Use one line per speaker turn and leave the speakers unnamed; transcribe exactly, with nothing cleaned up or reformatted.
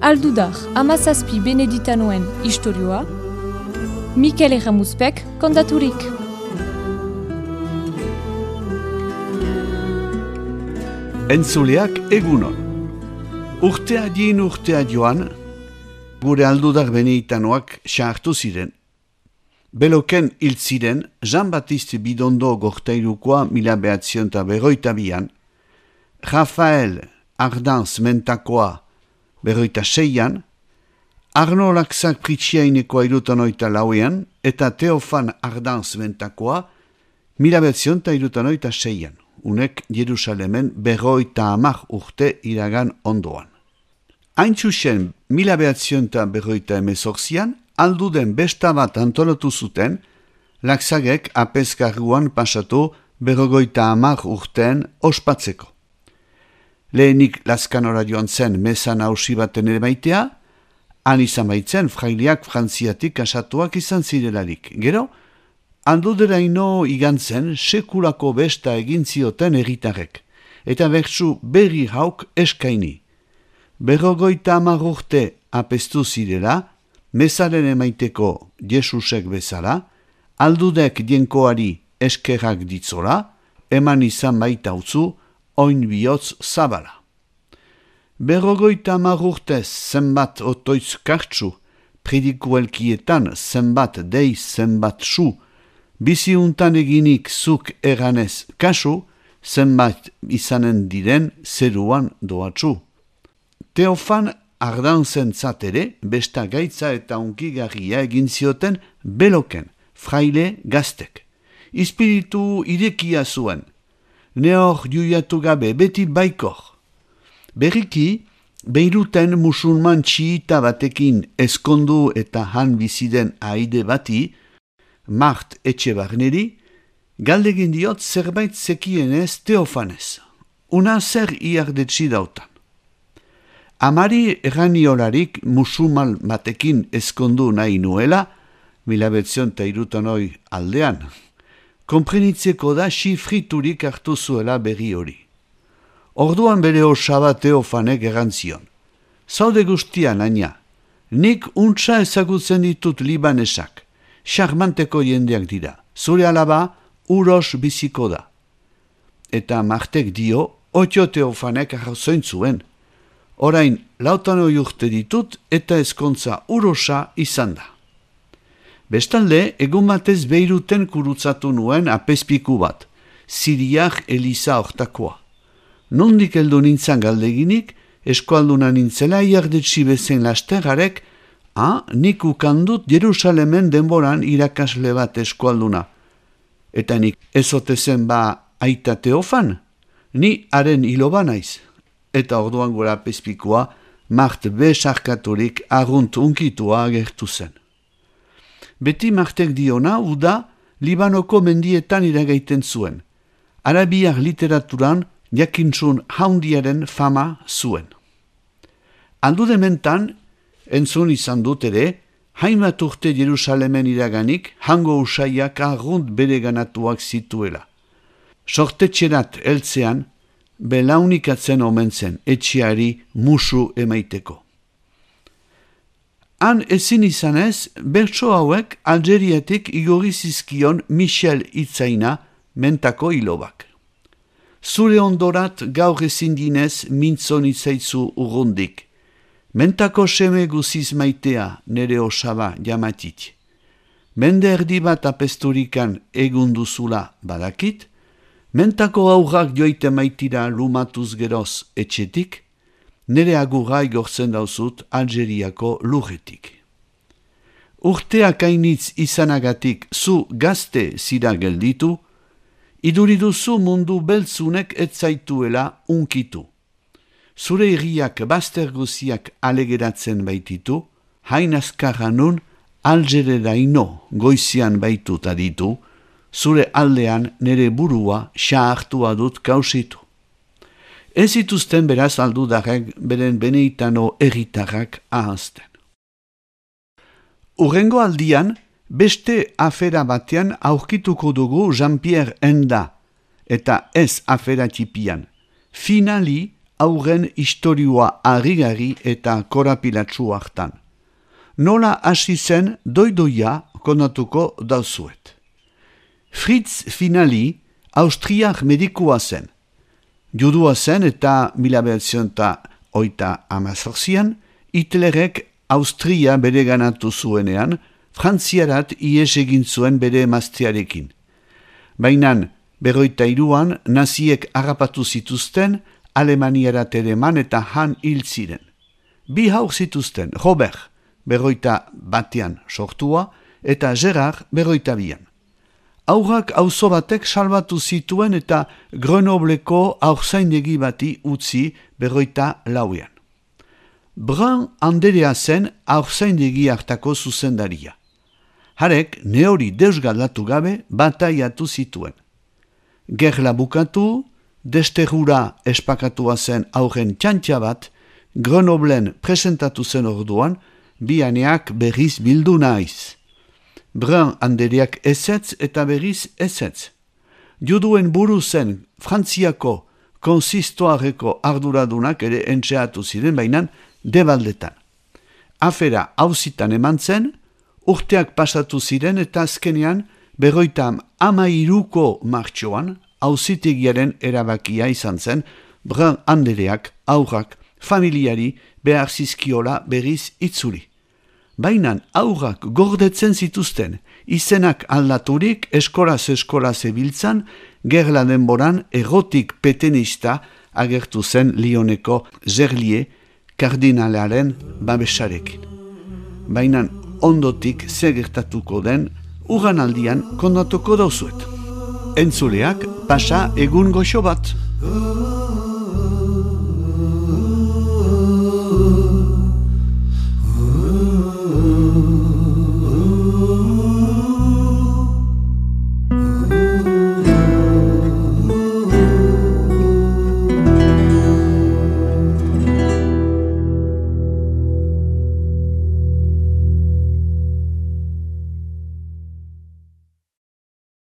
Aldudar, amazazpi beneditanoen istorioa, Mikel Erramuzpek kontaturik.
Entzuleak egunon. Urtea din urtea joan, gure aldudar beneditanoak sartu ziren. Beloken hil ziren Jean-Baptiste Bidondo Gortairukoa mila behatzion eta berroita bian, Rafael Ardanz Mentakoa berroita seian, Arno Laxak Pritxiainekoa irutan oita lauean, eta Teofan Ardanz Mentakoa mila behatzion eta irutan oita seian, unek Jerusalemen berroita amak urte iragan ondoan. Hain txusen mila behatzion eta berroita emezortzian, alduden besta bat antolatu zuten, Laxagek apezkarruan pasatu berrogoita amak urteen ospatzeko. Lehenik Lazkanora joan zen mesan hausi baten ere maitea, han izan baitzen fraileak frantziatik asatuak izan zirelarik. Gero, alduderaino igantzen sekulako besta egin zioten erritarrek, eta bertsu berri hauk eskaini. Berrogoita amak urte apestu zirela, mesaren emaiteko Jesusek bezala, aldudek dienkoari eskerrak ditzola, eman izan baita utzu, oin bihotz zabala. Berrogoita amak urtez zenbat otoitz kartsu, predikuelkietan zenbat dei zenbat su, biziuntan eginik zuk eganez kasu, zenbat izanen diren zeruan doatsu. Teofan Ardanzen zatere, besta gaitza eta unkigarria egin zioten Beloken, fraile gaztek. Espiritu irekia zuen, neor juiatu gabe beti baikor. Berriki, Beiruten musulman txiita batekin eskondu eta han biziden aide bati, Mart Etxebarneri, galdegin diot zerbait zekienez Teofanez. Una zer iardetsi dautan. Amari erraniolarik musulman batekin eskondu nahi nuela, mila behatzion eta irutanoi aldean, konprenitzeko da xifriturik hartu zuela berri hori. Orduan bere osaba Teofanek errantzion. Zaude guztian, aina, nik untsa ezagutzen ditut libanesak, xarmanteko jendeak dira, zure alaba uros biziko da. Eta Martek dio, otio Teofanek arrazoin zuen. Orain, lautano urte ditut eta ezkontza urosa izan da. Bestalde, egun batez Beiruten kurutzatu nuen apezpiku bat, Siriak Eliza hortakoa. Nondik heldu nintzan galdeginik, eskualduna nintzela iardetsi bezen lastergarek, ah, nik ukandut Jerusalemen denboran irakasle bat eskualduna. Eta nik ezotezen ba aita Teofan, ni haren hiloba naiz. Eta orduan gura apezpikua, Mart besarkaturik argunt unkitua agertu zen. Beti Martek diona, uda, Libanoko mendietan iragaiten zuen. Arabiar literaturan jakintzun haundiaren fama zuen. Aldudementan, entzun izan dut ere, hainbat urte Jerusalemen iraganik, hango usaiak argunt bere ganatuak zituela. Sortetxerat heltzean, belaunikatzen omen zen, etxeari musu emaiteko. Han ezin izanez, bertso hauek Algeriatik igorri zizkion Michel Itzaina Mentako hilobak. Zure ondorat gaur ezin dinez mintzon itzaitzu urrundik. Mentako seme guziz maitea nere osaba jamatit. Mende erdi bat apesturikan egunduzula badakit, Mentako aurrak joite maitira lumatuz geroz etxetik, nere agurra igortzen dauzut Algeriako lurretik. Urteak ainitz izanagatik zu gazte zira gelditu, iduriduzu mundu beltzunek etzaituela unkitu. Zure irriak bazter guziak alegeratzen baititu, hain azkarra nun Algereraino goizian baitut aditu, zure aldean nere burua xahartua dut kausitu. Ez zituzten beraz aldudarek beren beneitano erritarrak ahazten. Urrengo aldian, beste afera batean aurkituko dugu Jean-Pierre Enda, eta ez afera tipian. Finali aurren istorioa harrigarri eta korapilatsu hartan. Nola hasi zen doidoia kontatuko dauzuet. Fritz Finali austriak medikua zen. Judua zen eta mila bederatziehun eta hogeita hamazortzian Hitlerrek Austria bereganatu zuenean, Frantziarat ihes egin zuen bere emaztearekin. Baina berroita hiruan naziek harrapatu zituzten, Alemaniarat ereman eta han hil ziren. Bi haur zituzten, Robert, berroita batean sortua, eta Gerard, berroita bian. Aurrak auzo batek salbatu zituen eta Grenobleko haurzaindegi bati utzi berroita lauean. Brun anderea zen haurzaindegi hartako zuzendaria. Harek neori deusgaldatu gabe bataiatu zituen. Gerla bukatu, desterrura espakatua zen aurren txantxa bat, Grenoblen presentatu zen orduan, bianeak berriz bildu naiz. Brun andereak ezetz eta berriz ezetz. Juduen buru zen Frantziako konsistoareko arduradunak ere entxeatu ziren bainan debaldetan. Afera hauzitan eman zen, urteak pasatu ziren eta azkenean berroita hamairuko martxoan hauzitegiaren erabakia izan zen Brun andereak aurrak familiari behar zizkiola berriz itzuli. Baina aurrak gordetzen zituzten, izenak aldaturik eskolaz eskola zebiltzan, gerla denboran erotik petenista agertu zen Lyoneko Gerlier kardinalaren babesarekin. Baina ondotik zegertatuko den ugan aldian kondatuko dauzuet. Entzuleak pasa egun goxo bat.